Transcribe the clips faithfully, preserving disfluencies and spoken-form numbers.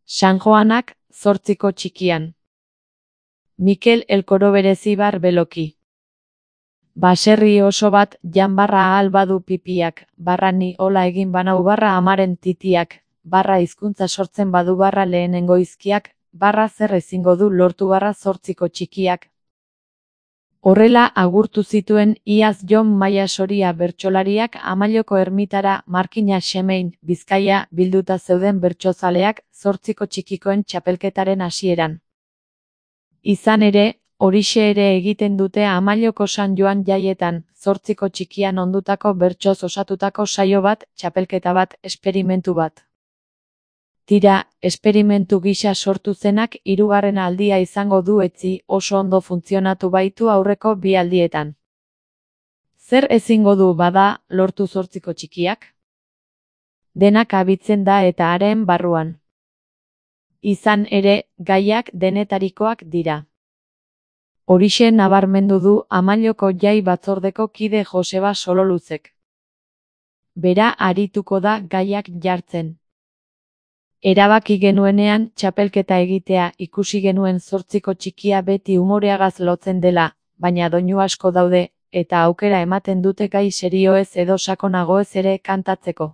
San Joanak, zortziko txikian. Mikel Elkoro berezibar beloki. Baserri oso bat, jan barra ahal badu pipiak, barra ni hola egin banau barra amaren titiak, barra hizkuntza sortzen badu barra lehenengo izkiak, barra zer ezingo du lortu barra zortziko txikiak. Horrela agurtu zituen iaz Jon Maia Soria bertsolariak Amalloko ermitara Markina Xemein, Bizkaia, bilduta zeuden bertsozaleak zortziko txikikoen txapelketaren hasieran. Izan ere, horixe ere egiten dute Amalloko San Joan jaietan, zortziko txikian ondutako bertsoz osatutako saio bat, txapelketa bat, esperimentu bat. Tira, esperimentu gisa sortu zenak hirugarren aldia izango du etzi, oso ondo funtzionatu baitu aurreko bi aldietan. Zer ezingo du bada, lortu zortziko txikiak? Denak abitzen da eta haren barruan. Izan ere, gaiak denetarikoak dira. Horixe nabarmendu du Amalloko jai batzordeko kide Joseba Sololuzek. Bera arituko da gaiak jartzen. Erabaki genuenean txapelketa egitea ikusi genuen zortziko txikia beti umoreagaz lotzen dela, baina doinu asko daude, eta aukera ematen dute gai serioez edo sakonagoez ere kantatzeko.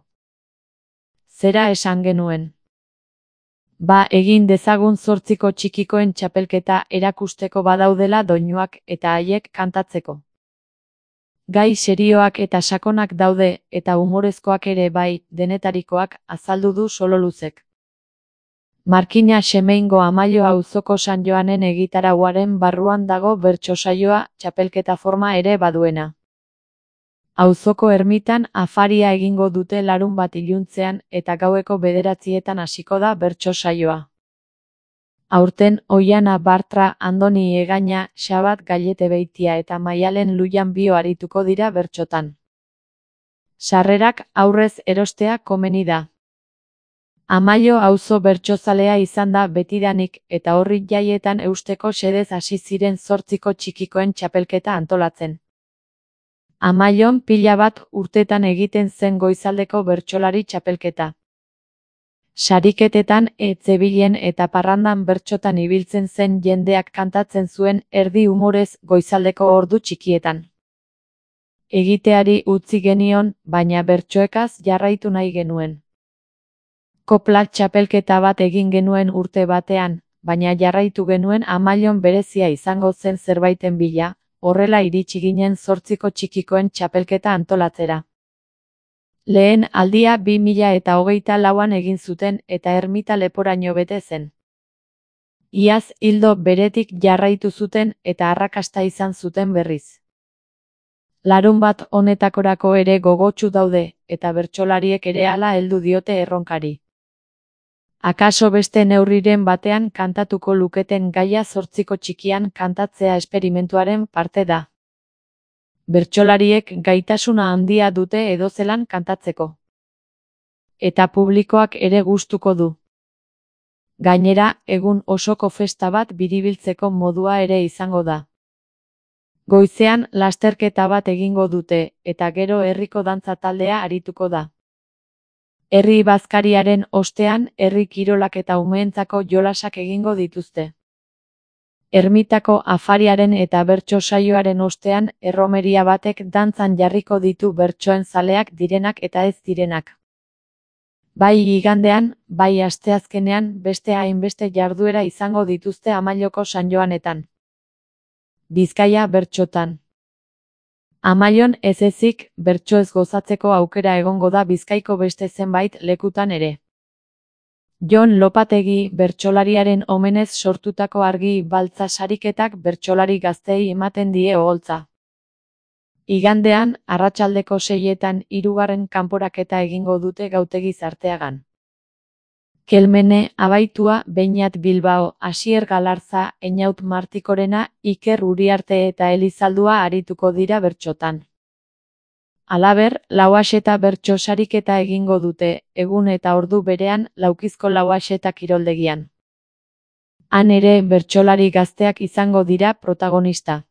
Zera esan genuen. Ba egin dezagun zortziko txikikoen txapelketa erakusteko badaudela doinuak eta haiek kantatzeko. Gai serioak eta sakonak daude, eta umorezkoak ere bai, denetarikoak, azaldu du Sololuzek. Markina Xemeingo Amallo auzoko San Joanen egitarauaren barruan dago bertso saioa, txapelketa forma ere baduena. Auzoko ermitan afaria egingo dute larun bat iluntzean eta gaueko bederatzietan hasiko da bertso saioa. Aurten Oiana Bartra, Andoni Egaña, Xabat Gallete Beitia eta Maialen Lujan Bio arituko dira bertsotan. Sarrerak aurrez erostea komeni da. Amallo auzo bertsozalea izan da betidanik eta horri jaietan eusteko xedez hasi ziren zortziko txikikoen txapelketa antolatzen. Amallon pila bat urtetan egiten zen goizaldeko bertsolari txapelketa. Sariketetan etzebilen eta parrandan bertsotan ibiltzen zen jendeak kantatzen zuen erdi umorez goizaldeko ordu txikietan. Egiteari utzi genion, baina bertsoekaz jarraitu nahi genuen. Kopla txapelketa bat egin genuen urte batean, baina jarraitu genuen Amallon berezia izango zen zerbaiten bila, horrela iritsi ginen zortziko txikikoen txapelketa antolatzera. Lehen aldia bi mila eta hogeita lauan egin zuten eta ermita leporaino bete zen. Iaz ildo beretik jarraitu zuten eta arrakasta izan zuten berriz. Larun bat honetakorako ere gogotsu daude, eta bertsolariek ere hala heldu diote erronkari. Akaso beste neurriren batean kantatuko luketen gaia zortziko txikian kantatzea esperimentuaren parte da. Bertsolariek gaitasuna handia dute edozelan kantatzeko. Eta publikoak ere gustuko du. Gainera, egun osoko festa bat biribiltzeko modua ere izango da. Goizean lasterketa bat egingo dute, eta gero herriko dantza taldea arituko da. Herri bazkariaren ostean, herri kirolak eta umeentzako jolasak egingo dituzte. Ermitako afariaren eta bertso saioaren ostean, erromeria batek dantzan jarriko ditu bertsoen zaleak direnak eta ez direnak. Bai igandean, bai asteazkenean, beste hainbeste jarduera izango dituzte Amalloko San Joanetan. Bizkaia bertsotan. Amallon ez ezik, bertsoez gozatzeko aukera egongo da Bizkaiko beste zenbait lekutan ere. Jon Lopategi bertsolariaren omenez sortutako argi baltza sariketak bertsolari gazteei ematen die oholtza. Igandean, arratsaldeko seietan hirugarren kanporaketa egingo dute Gautegi Zarteagan. Kelmene, Abaitua, Beñat Bilbao, Asier Galarza, Eñaut Martikorena, Iker Uriarte eta Elizaldua arituko dira bertsotan. Halaber, Lauaxeta bertso sariketa egingo dute, egun eta ordu berean, Laukizko Lauaxeta kiroldegian. Han ere bertsolari gazteak izango dira protagonista.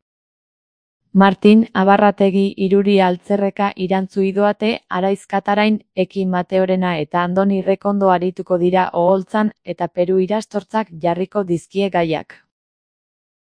Martin Abarrategi Iruri Altzerreka irantzu idoate Araiz Katarain Eki Mateorena eta Andoni Rekondo arituko dira oholtzan eta Peru irastortzak jarriko dizkie gaiak.